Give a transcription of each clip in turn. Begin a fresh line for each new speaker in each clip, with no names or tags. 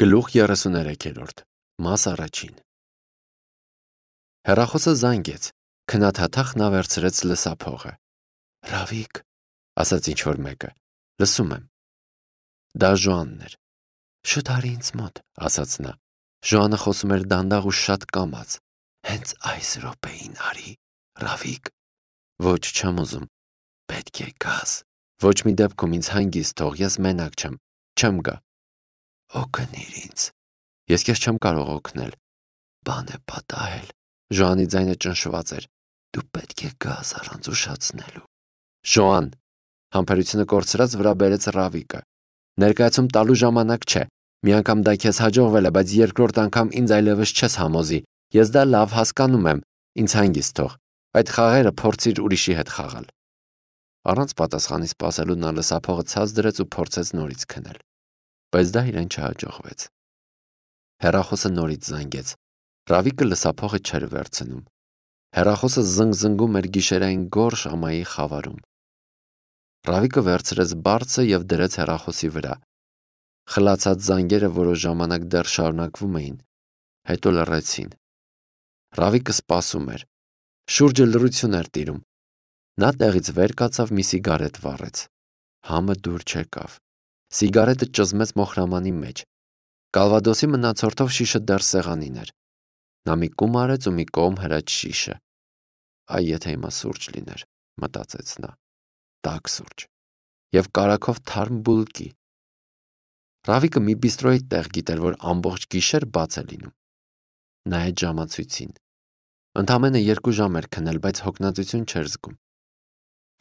Գլուխ 33 Մաս առաջին Հեռախոսը զանգեց, քնաթաթախ նա վերցրեց լսափողը։ Ռավիկ, ասաց ինչ-որ մեկը, լսում եմ։ Դա Ժոանն էր։ Շուտ արի ինձ մոտ, ասաց նա։ Ժոանը խոսում էր դանդաղ ու շատ կամաց։ Հենց այս րոպեին արի, Ռավիկ։ Ոչ, չեմ ուզում։ Պետք է գաս։ Ոչ մի դեպքում ինձ հանգիստ թող, ես մենակ չեմ, չեմ գա։ Օգնիր ինձ։ Ես քեզ չեմ կարող օգնել։ Բան է պատահել։ Ժոանի ձայնը ճնշված էր։ Դու պետք է գաս առանց ուշացնելու։ Ժոան, համբերությունը կորցրած վրա բերեց Ռավիկը։ Ներկայացում տալու ժամանակ չէ։ Մի անգամ դա քեզ հաջողվել է, բայց երկրորդ անգամ ինձ այլևս չես համոզի։ Ես դա լավ հասկանում եմ։ Ինձ հանգիստ թող։ Այդ խաղերը փորձիր ուրիշի հետ խաղալ։ Առանց պատասխանի սպասելու նա լսափողը ցած դրեց ու փորձեց նորից քնել։ Բայց դա իրեն չհաջողվեց։ Հեռախոսը նորից զանգեց։ Ռավիկը լսափողը չէր վերցնում։ Հեռախոսը զնգզնգում էր գիշերային գորշ ամայի խավարում։ Ռավիկը վերցրեց բարձը եւ դրեց հեռախոսի վրա։ Խլացած զանգերը որոշ ժամանակ դեռ շարունակվում էին, հետո լռեցին։ Ռավիկը սպասում էր։ Շուրջը լռություն էր տիրում։ Նա տեղից վեր կացավ, մի սիգարետ վառեց։ Համը դուր չեկավ։ Սիգարետը ճզմեց մոխրամանի մեջ։ Կալվադոսի մնացորդով շիշը դեռ սեղանին էր։ Նա մի կում արեց ու մի կողմ հրաց շիշը։ Այ եթե հիմա սուրճ լիներ, մտածեց նա։ Տաք սուրճ։ Եվ կարագով թարմ բուլկի։ Ռավիկը մի բիստրոյի տեղ գիտեր, որ ամբողջ գիշեր բաց է լինում։ Նայեց ժամացույցին։ Ընդամենը 2 ժամ էր քնել, բայց հոգնածություն չէր զգում։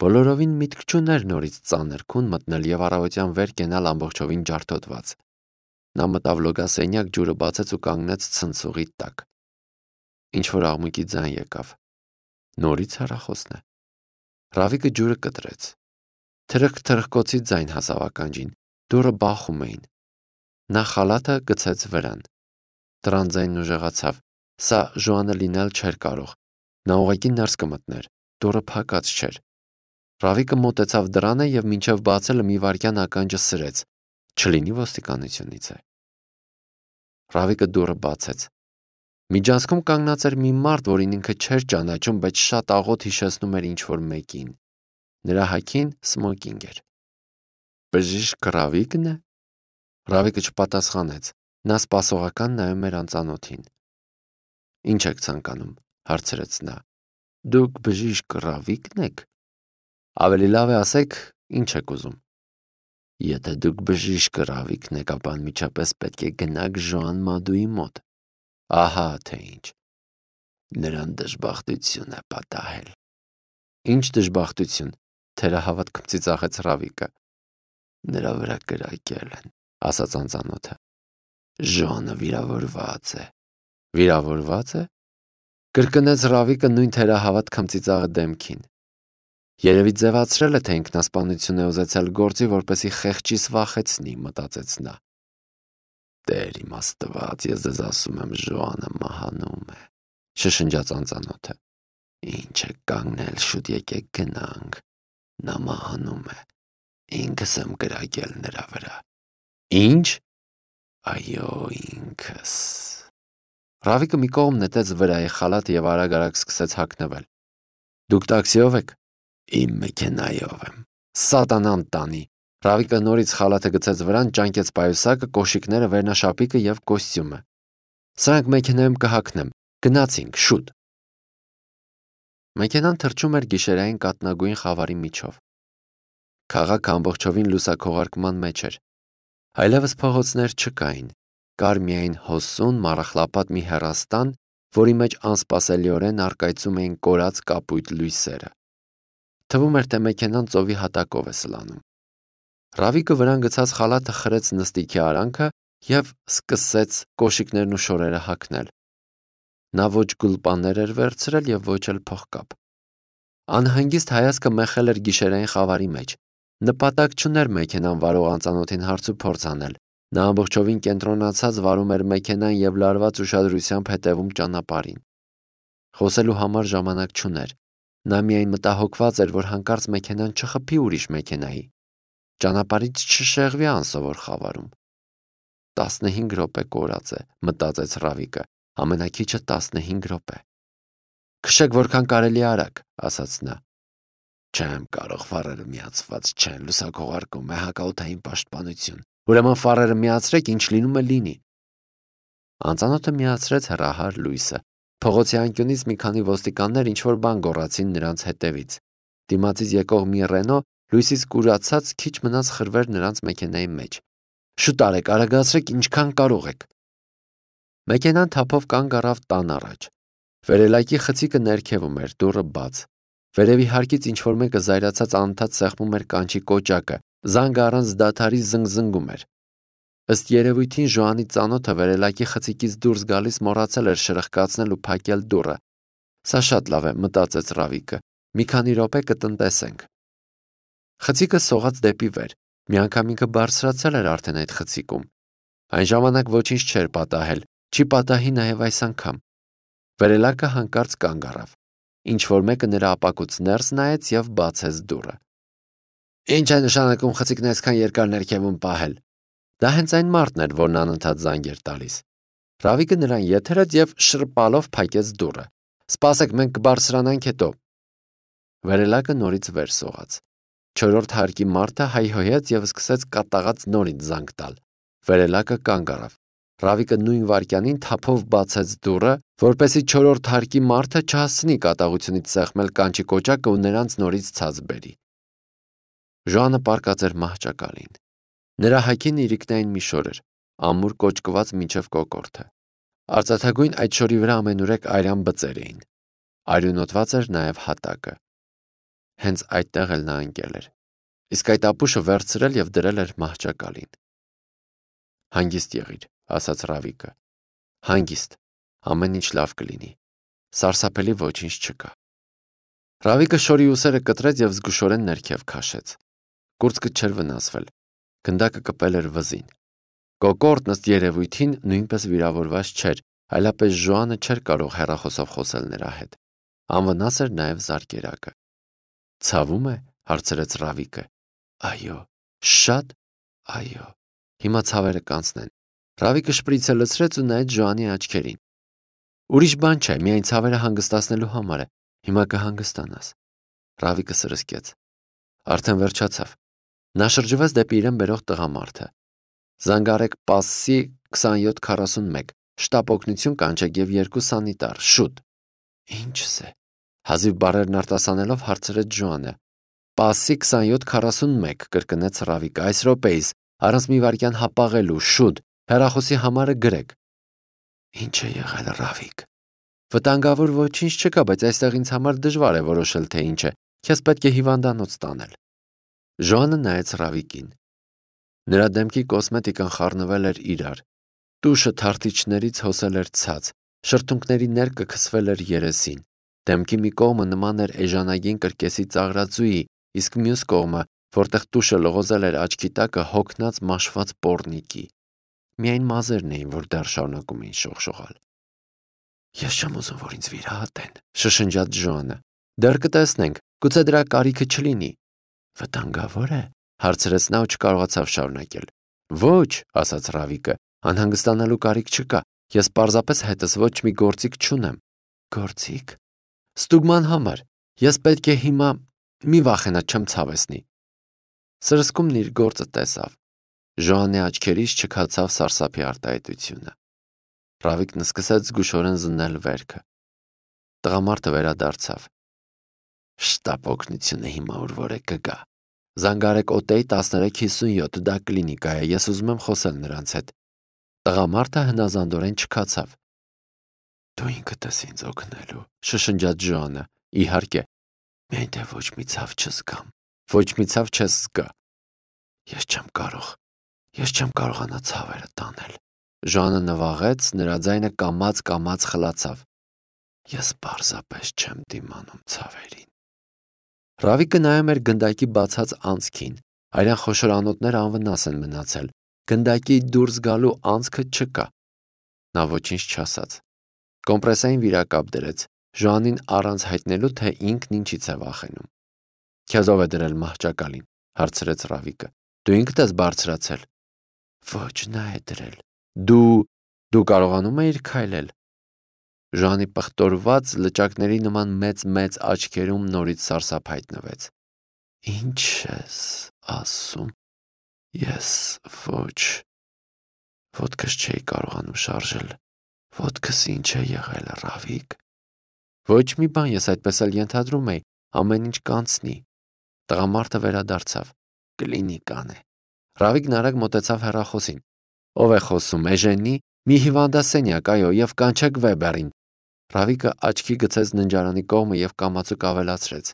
Բոլորովին միտք չուներ նորից ծանր քուն մտնել եւ առավոտյան վեր կենալ ամբողջովին ջարդոտված։ Նա մտավ լոգասենյակ, ջուրը բացեց ու կանգնեց ցնցուղի տակ։ Ինչ-որ աղմուկի ձայն եկավ։ Նորից հեռախոսն է։ Ռավիկը ջուրը կտրեց։ Թրխկ-թրխկոցի ձայն հասավ ականջին։ Դուռը բախում էին։ Նա խալաթը գցեց վրան։ Դռան ձայնն ուժեղացավ։ Սա Ժոանը լինել չէր կարող։ Նա ուղղակի ներս կմտներ։ Դուռը փակած չէր։ Ռավիկը մոտեցավ դռանը եւ մինչեւ բացելը մի վայրկյան ականջը սրեց։ Չլինի ոստիկանությունից է։ Ռավիկը դուռը բացեց։ Միջանցքում կանգնած էր մի մարդ, որին ինքը չէր ճանաչում, բայց շատ աղոտ հիշեցնում էր ինչ-որ մեկին։ Նրա հագին սմոկինգ էր։ Բժիշկ Ռավիկն է։ Ռավիկը չպատասխանեց։ Նա սպասողական նայում էր անծանոթին։ Ինչ եք ցանկանում, հարցրեց նա։ Դուք բժիշկ Ռավիկն եք։ Ավելի լավ է ասեք, ինչ եք ուզում։ Եթե դուք բժիշկ Ռավիկն եք, ապա անմիջապես պետք է գնաք Ժոան Մադուի մոտ։ Ահա թե ինչ։ Նրան դժբախտություն է պատահել։ Ինչ դժբախտություն, թերահավատ ծիծաղեց Ռավիկը։ Նրա վրա կրակել են, ասաց անծանոթը։ Ժոանը վիրավորված է։ Վիրավորված է։ Կրկնեց Ռավիկը նույն թերահավատ քմծիծաղը դեմքին։ Երևի ձևացրել է, թե ինքնասպանություն է ուզեցել գործի, որպեսի խեղճիս վախեցնի, մտածեց նա։ Տեր իմ Աստված, ես ձեզ ասում եմ, Ժոանը մահանում է, շշնջաց անծանոթը։ Ինչ է կանգնել, շուտ եկեք գնանք։ Նա մահանում է։ Ինքս եմ կրակել նրա վրա։ Ինչ։ Այո, ինքս։ Ռավիկը մի կողմ նետեց վրայի խալաթը եւ արագ-արագ սկսեց հագնվել։ Դուք տաքսիով եք։ Իմ մեքենայով եմ։ Սատանան տանի։ Ռավիկը նորից խալաթը գցեց վրան, ճանկեց պայուսակը, կոշիկները, վերնաշապիկը եւ կոստյումը։ Սրանք մեքենայում կհագնեմ։ Գնացինք, շուտ։ Մեքենան թռչում էր գիշերային կատնագույն խավարի միջով։ Քաղաքը ամբողջովին լուսաքողարկման մեջ էր։ Այլևս փողոցներ չկային։ Կար միայն հոսուն, մառախլապատ մի հեռաստան, որի մեջ անսպասելիորեն առկայծում էին կորած կապույտ լույսերը։ Թվում էր, թե մեքենան ծովի հատակով է սլանում։ Ռավիկը վրան գցած խալաթը խրեց նստիքի արանքը եւ սկսեց կոշիկներն ու շորերը հագնել։ Նա ոչ գուլպաներ էր վերցրել եւ ոչ էլ փողկապ։ Անհանգիստ հայացքը մեխել էր գիշերային խավարի մեջ։ Նպատակ չուներ մեքենան վարող անծանոթին հարց ու փորձ անել։ Նա ամբողջովին կենտրոնացած վարում էր մեքենան եւ լարված ուշադրությամբ հետևում ճանապարհին։ Խոսելու համար ժամանակ չուներ։ Նա միայն մտահոգված էր, որ հանկարծ մեքենան չխփի ուրիշ մեքենայի։ Ճանապարհից չշեղվի անսովոր խավարում։ 15 րոպե կորած է, մտածեց Ռավիկը, ամենաքիչը 15 րոպե։ Քշեք որքան կարելի արագ, ասաց նա։ Չեմ կարող, ֆարերը միացված չեն, լուսաքողարկում է հակաօդային պաշտպանություն։ Ուրեմն ֆարերը միացրեք, ինչ լինում է լինի։ Անծանոթը միացրեց հեռահար լույսը։ Փողոցի անկյունից մի քանի ոստիկաններ ինչ-որ բան գոռացին նրանց հետևից։ Դիմացից եկող մի Ռենո լույսից կուրացած քիչ մնաց խրվեր նրանց մեքենայի մեջ։ Շուտ արեք, արագացրեք, ինչքան կարող եք։ Մեքենան թափով կանգ առավ տան առաջ։ Վերելակի խցիկը ներքևում էր, դուռը բաց։ Վերևի հարկից ինչ-որ մեկը զայրացած անընդհատ սեղմում էր կանչի կոճակը, զանգը առանց դադարի զնգզնգում էր։ Ըստ երևույթին Ժոանի ծանոթը վերելակի խցիկից դուրս գալիս մոռացել էր շրխկացնել ու փակել դուռը։ Սա շատ լավ է, մտածեց Ռավիկը։ Մի քանի րոպե կտնտեսենք։ Խցիկը սողաց դեպի վեր։ Միանգամինքը բարձրացել էր արդեն այդ խցիկում։ Այն ժամանակ ոչինչ չէր պատահել, չի պատահի նաև այս անգամ։ Վերելակը հանկարծ կանգ առավ։ Ինչ-որ մեկը նրա ապակուց ներս նայեց և բացեց դուռը։ Ինչ է նշանակում խցիկն այսքան երկար ներքևում պահել։ Դա հենց այն մարդն էր, որն անընդհատ զանգ էր տալիս։ Ռավիկը նրան եթերեց և շրպալով փակեց դուռը։ Սպասեք, մենք կբարձրանանք հետո։ Վերելակը նորից վեր սողաց։ Չորրորդ հարկի մարդը հայհոյեց և սկսեց կատաղած նորից զանգ տալ։ Վերելակը կանգ առավ։ Ռավիկը նույն վայրկյանին թափով բացեց դուռը, որպեսզի չորրորդ հարկի մարդը չհասցնի կատաղությունից սեղմել կանչի կոճակը ու նրանց նորից ցած բերի։ Ժոանը պառկած էր մահճակալին։ Նրա հագին իրիկնային մի շոր էր, ամուր կոճկված մինչև կոկորդը։ Արծաթագույն այդ շորի վրա ամենուրեք արյան բծեր էին։ Արյունոտված էր նաև հատակը։ Հենց այդտեղ էլ նա ընկել էր։ Իսկ այդ ապուշը վերցրել և դրել էր մահճակալին։ Հանգիստ եղիր, ասաց Ռավիկը։ Հանգիստ, ամեն ինչ լավ կլինի։ Սարսափելի ոչինչ չկա։ Ռավիկը շորի ուսերը կտրեց և զգուշորեն ներքև քաշեց։ Կուրծքը չէր վնասվել։ Գնդակը կպել էր վզին։ Կոկորդն ըստ երևույթին նույնպես վիրավորված չէր, այլապես Ժոանը չէր կարող հեռախոսով խոսել նրա հետ։ Անվնաս էր նաև զարկերակը։ Ցավում է, հարցրեց Ռավիկը։ Այո, շատ, այո։ Հիմա ցավերը կանցնեն։ Ռավիկը շպրիցը լցրեց ու նայեց Ժոանի աչքերին։ Ուրիշ բան չէ, միայն ցավերը հանգստացնելու համար է։ Հիմա կհանգստանաս։ Ռավիկը սրսկեց։ Արդեն վերջացավ։ Նա շրջվեց դեպի իրեն բերող տղամարդը։ Զանգարեք Պասսի 2741, շտապ օգնություն կանչեք և 2 սանիտար, շուտ։ Ինչս է։ Հազիվ բառերն արտասանելով հարցրեց Ժոանը։ Պասսի 2741, կրկնեց Ռավիկը, այս րոպեիս, առանց մի վայրկյան հապաղելու, շուտ, հեռախոսի համարը գրեք։ Ինչ է եղել, Ռավիկ։ Վտանգավոր ոչինչ չկա, բայց այստեղ ինձ համար դժվար է որոշել, թե ինչ է։ Քեզ պետք է հիվանդանոց տանել։ Ժոանը նայեց Ռավիկին։ Նրա դեմքի կոսմետիկան խառնվել էր իրար։ Տուշը թարթիչներից հոսել էր ցած, շրթունքների ներկը քսվել էր երեսին։ Դեմքի մի կողմը նման էր էժանագին կրկեսի ծաղրածուի, իսկ մյուս կողմը, որտեղ տուշը լողոզել էր աչքի տակը, հոգնած մաշված պոռնիկի։ Միայն մազերն էին, որ դեռ շարունակում էին շողշողալ։ Ես չեմ ուզում, որ ինձ վիրահատեն, շշնջաց Ժոանը։ Դեռ կտեսնենք, գուցե դրա կարիքը չլինի։ Վտանգավոր է, հարցրեց նա ու չկարողացավ շարունակել։ Ոչ, ասաց Ռավիկը, անհանգստանալու կարիք չկա։ Ես պարզապես հետս ոչ մի գործիք չունեմ։ Գործիք։ Ստուգման համար։ Ես պետք է հիմա մի վախենա չեմ ցավեցնի։ Սրսկումն իր գործը տեսավ։ Ժոանի աչքերից չքացավ սարսափի արտահայտությունը։ Ռավիկն սկսեց զգուշորեն զննել վերքը։ Տղամարդը վերադարձավ։ Շտապ օգնությունը հիմա ուր է կգա։ Զանգարեք օտեի 1357, դա կլինիկա է, ես ուզում եմ խոսել նրանց հետ։ Տղամարդը հնազանդորեն չքացավ։ Դու ինքդ ես ինձ օգնելու, շշնջաց Ժոանը։ Իհարկե, միայն թե ոչ մի ցավ չզգամ։ Ոչ մի ցավ չես զգա։ Ես չեմ կարողանա ցավերը տանել։ Ժոանը նվաղեց, նրա ձայնը կամաց խլացավ։ Ես պարզապես չեմ դիմանում ցավերին։ Ռավիկը նայում էր գնդակի բացած անցքին։ Արյան խոշոր անոթները անվնաս են մնացել։ Գնդակի դուրս գալու անցքը չկա։ Նա ոչինչ չասաց։ Կոմպրեսային վիրակապ դրեց։ Ժոանին առանց հայտնելու, թե ինքն ինչից է վախենում։ Քեզ ով է դրել մահճակալին, հարցրեց Ռավիկը։ Դու ինքդ ես բարձրացել։ Ոչ, նա է դրել։ Դու կարողանում էիր քայլել։ Ժանի պղտորված լճակների նման մեծ աչքերում նորից սարսափ հայտնվեց։ Ինչ ես ասում։ Ես ոչ։ Ոտքս չէի կարողանում շարժել։ Ոտքս ինչ է եղել, Ռավիկ։ Ոչ մի բան, ես այդպես էլ ենթադրում էի, ամեն ինչ կանցնի։ Տղամարդը վերադարձավ։ Կլինիկան է։ Ռավիկն արագ մոտեցավ հեռախոսին։ Ով է խոսում, Էժենի։ Մի հիվանդասենյակ, այո, եւ կանչեք Վեբերին։ Ռավիկը աչքի գցեց ննջարանի կողմը եւ կամացուկ ավելացրեց.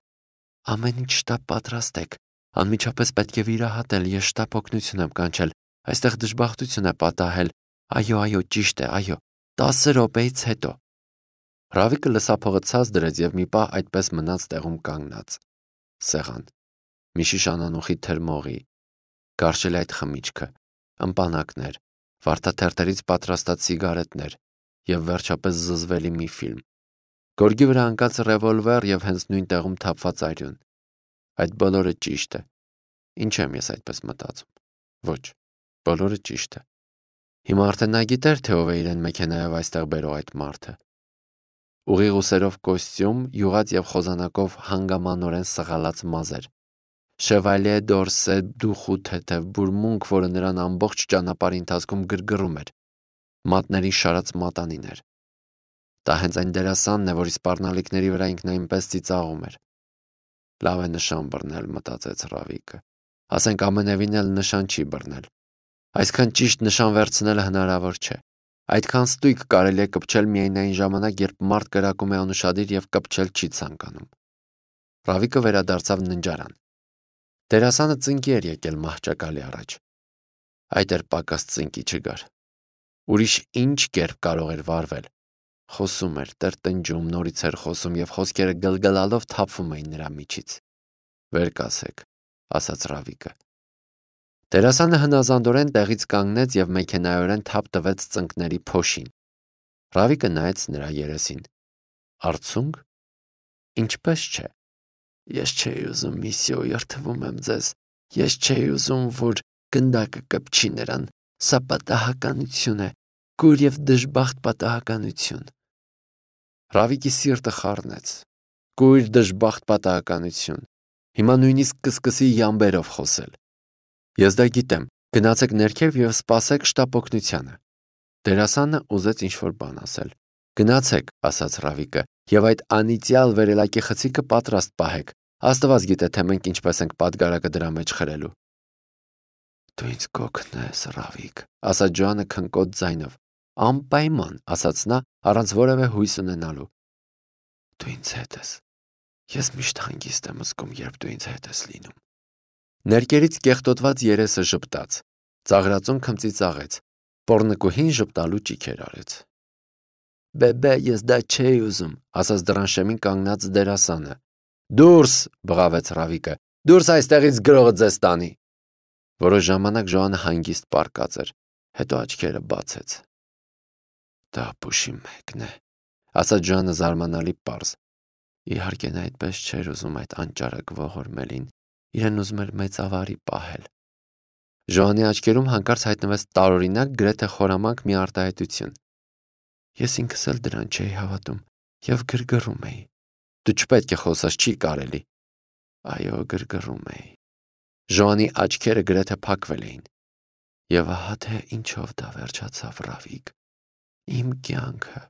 Ամեն ինչ շտապ պատրաստեք։ Անմիջապես պետք է վիրահատել, ես շտապ օգնություն եմ կանչել։ Այստեղ դժբախտություն է պատահել։ Այո, ճիշտ է, այո։ 10 րոպեից հետո։ Ռավիկը լսափողը ցած դրեց եւ մի պահ այդպես մնաց տեղում կանգնած։ Սեղան։ Մի շիշ անանուխի թրմողի։ Կարճել այդ խմիչքը, ըմպանակներ, վարդաթերթերից պատրաստած սիգարետներ եւ վերջապես զզվելի մի ֆիլմ։ Գորգի վրա ընկած ռևոլվեր եւ հենց նույն տեղում թափված արյուն։ Այդ բոլորը ճիշտ է։ Ինչ եմ ես այդպես մտածում։ Ոչ, բոլորը ճիշտ է։ Հիմա արդեն նա գիտեր, թե ով է իրեն մեքենայով այստեղ բերող այդ մարդը։ Ուղիղ ուսերով կոստյում, յուղած եւ խոզանակով հանգամանորեն սղալած մազեր։ Շևալյե դորսե դուխու թեթև բուրմունք, որը նրան ամբողջ ճանապարհի ընթացքում գրգռում էր։ Մատների շարած մատանիներ։ Դա հենց այն դերասանն է, որի սպառնալիքների վրա ինքն այնպես ծիծաղում էր։ Լավ է նշան բռնել, մտածեց Ռավիկը։ Ասենք ամենևին էլ նշան չի բռնել։ Այսքան ճիշտ նշան վերցնելը հնարավոր չէ։ Այդքան ստույգ կարելի է կպչել միայն այն ժամանակ, երբ մարդ կրակում է անուշադիր եւ կպչել չի ցանկանում։ Ռավիկը վերադարձավ ննջարան։ Դերասանը ծնկի էր եկել մահճակալի առաջ։ Այդ էր պակաս ծնկի չգար։ Ուրիշ ինչ կերպ կարող էր վարվել։ Խոսում էր, տրտնջում, նորից էր խոսում եւ խոսքերը գլգլալով թափվում էին նրա միջից։ Վեր կասեք, ասաց Ռավիկը։ Դերասանը հնազանդորեն տեղից կանգնեց եւ մեքենայորեն թափ տվեց ծնկների փոշին։ Ռավիկը նայեց նրա երեսին։ Արցունք։ Ինչպես չէ։ Ես չէի ուզում միսիո երթվում եմ ձեզ։ Ես չէի ուզում, որ գնդակը կպչի նրան։ Սա պատահականություն է, կուր եւ դժբախտ պատահականություն։ Ռավիկի սիրտը խառնեց։ Կույր դժբախտ պատահականություն։ Հիմա նույնիսկ կսկսի յամբերով խոսել։ Ես դա գիտեմ։ Գնացեք ներքև եւ սպասեք շտապ օգնությանը։ Դերասանը ուզեց ինչ-որ բան ասել։ Գնացեք, ասաց Ռավիկը, եւ այդ անիծյալ վերելակի խցիկը պատրաստ պահեք։ Աստված գիտե, թե մենք ինչպես ենք պատգարակը դրա մեջ խրելու։ Դու ինձ կօգնես, Ռավիկ, ասաց Ջոանը քնկոտ ձայնով։ Անպայման, ասաց նա, առանց որևէ հույս ունենալու։ Դու ինձ հետ ես։ Ես միշտ հանգիստ եմ զգում, երբ դու ինձ հետ ես լինում։ Ներկերից կեղտոտված երեսը ժպտաց, ծաղրածուն քմծիծաղեց, պոռնկուհին ժպտալու ճիքեր արեց։ Բեբե, ես դա չէի ուզում, ասաց դրանշեմին կանգնած դերասանը։ Դուրս, բղավեց Ռավիկը, դուրս այստեղից գրողը ձեզ տանի։ Որոշ ժամանակ Ժոանը հանգիստ պառկած էր, հետո աչքերը բացեց։ Դա ապուշի մեկն է, ասաց Ժոանը զարմանալի պարզ։ Իհարկե նա այդպես չէր ուզում այդ անճարակ ողորմելին, իրեն ուզում էր մեծ ավարի պահել։ Ժոանի աչքերում հանկարծ հայտնվեց տարօրինակ գրեթե խորամանկ մի արտահայտություն։ Ես ինքս էլ դրան չէի հավատում եւ գրգռում էի։ Դու չպետք է խոսաս, չի կարելի։ Այո, գրգռում էի։ Ժոանի աչքերը գրեթե փակվել էին։ Եվ ահա թե ինչով դա վերջացավ, Ռավիկ։ Իմ կյանքը։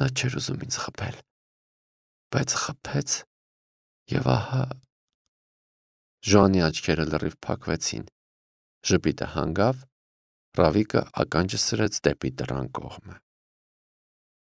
Նա չէր ուզում ինձ խփել, բայց խփեց եւ ահա Ժոանի աչքերը լրիվ փակվեցին։ Ժպիտը հանգավ, Ռավիկը ականջը սրեց դեպի դռան կողմը։